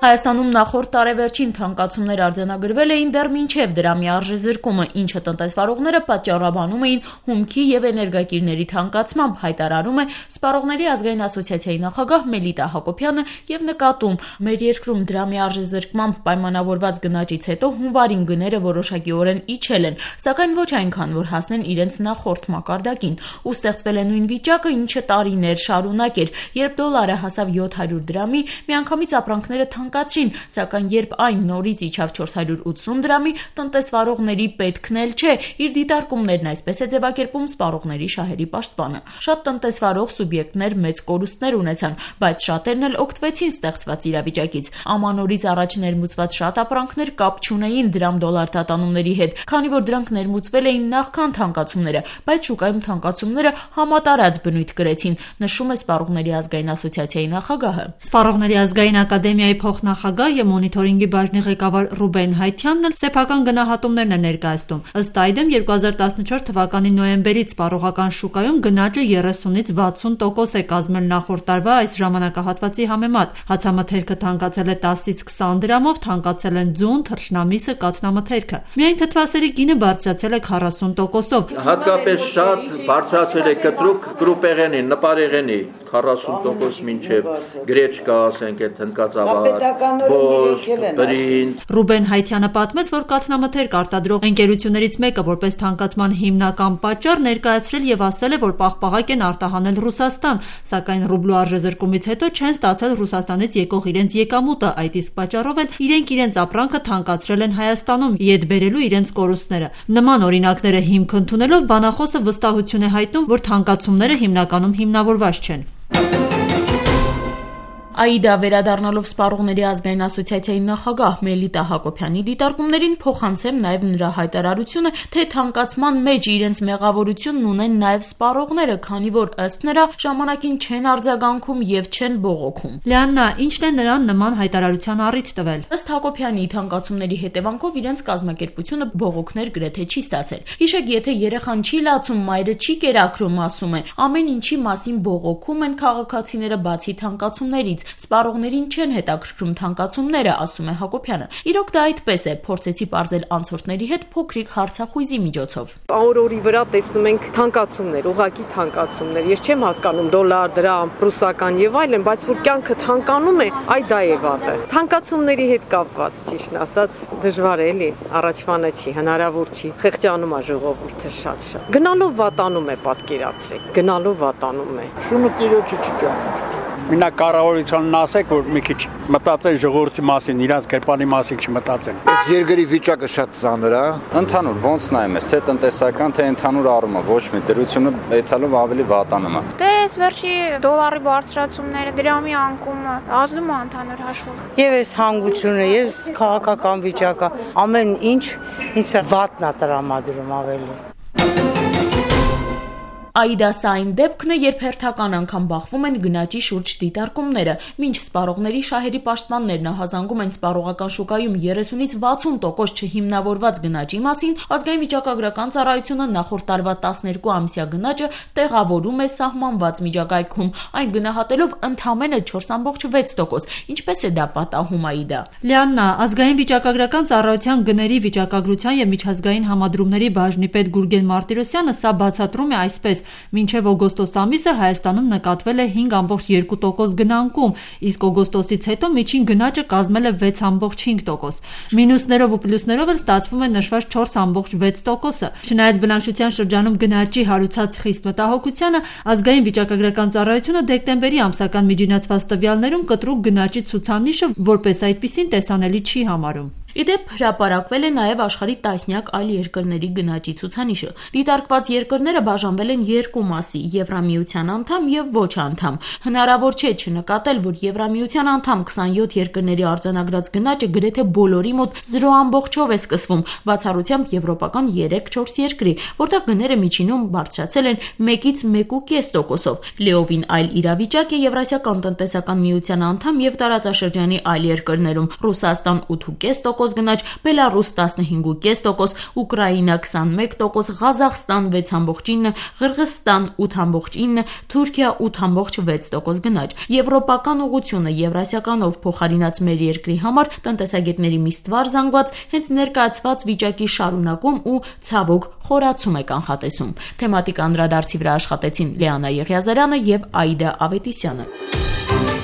Հայաստանում նախորդ տարեվերջին թանկացումներ արձանագրվել էին դեռ մինչև դրամի արժեզրկումը, ինչը տնտեսվարողները պատճառաբանում էին հումքի և էներգակիրների թանկացմամբ, հայտարարում է Սպառողների ազգային ասոցիացիայի նախագահ Մելիտա Հակոբյանը և նկատում. մեր երկրում դրամի արժեզրկմամբ պայմանավորված գնաճից հետո հունվարին գները որոշակիորեն իջել են, սակայն ոչ այնքան, որ հասնեն իրենց նախորդ մակարդակին, ու ստեղծվել է նույն վիճակը, ինչը տարիներ շարունակ էր, երբ դոլարը հասավ 700 դրամի, միանգամից ապրանքները թանկացրին, սակայն երբ այն նորից իջավ 480 դրամի, տնտեսվարողների պետքն էլ չէ, իր դիտարկումներն այսպես է ձևակերպում Սպառողների շահերի պաշտպանը։ Շատ տնտեսվարող սուբյեկտներ մեծ կորուստներ ունեցան, բայց շատերն էլ օգտվեցին ստեղծված իրավիճակից։ Ամանորից առաջ ներմուծված շատ ապրանքներ կապ չունեին դրամ-դոլար տատանումների հետ, քանի որ դրանք ներմուծվել էին նախքան թանկացումները, բայց շուկայում թանկացումները համատարած բնույթ կրեցին, նշում է Սպառողների ազգային ասոցիացիայի նախագահը։ Սպառողների ազգային ակադեմիայի փոխնախագահ եւ մոնիթորինգի բաժնի ղեկավար Ռուբեն Հայթյանն էլ սեփական գնահատումներն է ներկայացնում։ Ըստ այդմ 2014 թվականի նոյեմբերից սպառողական շուկայում գնաճը 30-ից 60% է կազմել նախորդ տարվա այս ժամանակահատվածի համեմատ։ Հացամթերքը թանկացել է 10-ից 20 դրամով, թանկացել են ձուն, թռչնամիսը, կաթնամթերքը։ Միայն թթվասերի գինը բարձրացել է 40%-ով։ Հատկապես շատ բարձրացել է կտրուկ կրուպեղենի, նպարեղենի 40% մինչև գրեչկա, ասենք այդ հնդկածավալ, ոսկ, բրինձ։ Ռուբեն Հայթյանը պատմեց, որ կաթնամթերք արտադրող ընկերություններից մեկը որպես թանկացման հիմնական պատճառ ներկայացրել եւ ասել է, որ պաղպաղակ են արտահանել Ռուսաստան, սակայն ռուբլու արժեզրկումից հետո չեն ստացել Ռուսաստանից եկող իրենց եկամուտը, այդ իսկ պատճառով էլ իրենց ապրանքը թանկացրել են Հայաստանում, իդ բերելու իրենց կորուստները։ Նման օրինակները հիմք ընդունելով բանախոսը վստահություն է հայտնում, որ թանկացումները հիմնականում հիմնավորված չեն։ Աիդա վերադառնալով Սպառողների ազգային ասոցիացիայի նախագահ Մելիտա Հակոբյանի դիտարկումներին փոխանցեմ նաև նրա հայտարարությունը, թե թանկացման մեջ իրենց մեղավորությունն ունեն նաև սպառողները, քանի որ ըստ նրա ժամանակին չեն արձագանքում եւ չեն բողոքում։ Լիաննա, ինչն է նրան նման հայտարարության առիթ տվել։ Ըստ Հակոբյանի, թանկացումների հետևանքով իրենց կազմակերպությունը բողոքներ գրեթե չի ստացել։ Հիշեք, եթե երեխան չի լացում, մայրը չի կերակրում, ասում է, ամեն ինչի մասին բողոքում են քաղաքացիները բացի թանկացումներից։ Սպառողներին չեն հետաքրքրում թանկացումները, ասում է Հակոբյանը։ Իրոք դա այդպես է, փորձեցի պարզել անցորդների հետ փոքրիկ հարցախույզի միջոցով։ Օրի վրա տեսնում ենք թանկացումներ, ուղղակի թանկացումներ։ Ես չեմ հասկանում դոլար, դրամ, ռուսական եւ այլն, բայց որ կյանքը թանկանում է, այ դա է վատը։ Թանկացումների հետ կապված, ճիշտն ասած, դժվար է էլի, առաջվանը չի, հնարավոր չի։ Խեղճանում է ժողովուրդը շատ։ Գնալով վատանում է, պատկերացրեք, գնալով վատանում է։ Շունը տիրոջը չի ճանաչում։ Մենակ կառավարությանն ասեք, որ մի քիչ մտածեն ժողովրդի մասին, իրանց կերպարի մասին չմտածեն։ Այս երկրի վիճակը շատ ծանր է։ Ընդհանուր ոնց նայում ես, թե տնտեսական, թե ընդհանուր առումով ոչ մի դրությունը էթալով ավելի վատանում է։ Դե այս վերջի դոլարի բարձրացումները, դրամի անկումը ազդում է ընդհանուր հաշվով։ Եվ այս հանգությունը, եւ քաղաքական վիճակը, ամեն ինչ ինձ վատնա տրամադրում ավելի։ Աիդա սա այն դեպքն է, երբ հերթական անգամ բախվում են գնաճի շուրջ դիտարկումները։ Մինչ Սպառողների շահերի պաշտպաններն ահազանգում են սպառողական շուկայում 30-ից 60% չհիմնավորված գնաճի մասին, ազգային վիճակագրական ծառայությունը նախորդ տարվա 12-ամսյա գնաճը տեղավորում է սահմանված միջակայքում, այն գնահատելով ընդամենը 4.6%։ Ինչպես է դա պատահում, Աիդա։ Լիաննա, ազգային վիճակագրական ծառայության գների վիճակագրության եւ միջազգային համադրումների բաժնի պետ Գուրգեն Մարտիրոսյանը սա բացատրում է այսպես. մինչև օգոստոս ամիսը Հայաստանում նկատվել է 5.2% գնանկում, իսկ օգոստոսից հետո միջին գնաճը կազմել է 6.5%։ Մինուսներով ու պլյուսներով էլ ստացվում է նշված 4.6%-ը։ Չնայած բնակչության շրջանում գնաճի հարուցած խիստ մտահոգությանը, ազգային վիճակագրական ծառայությունը դեկտեմբերի ամսական միջինացված տվյալներում կտրուկ գնաճի ցուցանիշը որպես այդպիսին տեսանելի չի համարում։ Իդեպ հրապարակվել է նաև աշխարհի տասնյակ այլ երկրների գնաճի ցուցանիշը։ Դիտարկված երկրները բաժանվել են երկու մասի՝ Եվրամիության անդամ եւ ոչ անդամ։ Հնարավոր չէ չնկատել, որ Եվրամիության անդամ 27 երկրների արձանագրած գնաճը գրեթե բոլորի մոտ 0.5-ով է սկսվում, բացառությամբ եվրոպական 3-4 երկրի, որտեղ գները միջինում բարձրացել են 1-ից 1.5%-ով։ Լիովին այլ իրավիճակ է Եվրասիական տնտեսական միության անդամ եւ տարածաշրջանի այլ երկրներում՝ Ռուսաստան 8.5%, 6% գնաճ, Բելարուս 15.5%, Ուկրաինա 21%, Ղազախստան 6.9%, Ղրղզստան 8.9%, Թուրքիա 8.6% գնաճ։ Եվրոպական ուղղությունը Եվրասիականով փոխարինած մեր երկրի համար տնտեսագետների մի ստվար զանգված հենց ներկայացված վիճակի շարունակում ու ցավոք խորացում է կանխատեսում։ Թեմատիկ անդրադարձի վրա աշխատեցին Լիանա Եղիազարյանը եւ Աիդա Ավետիսյանը։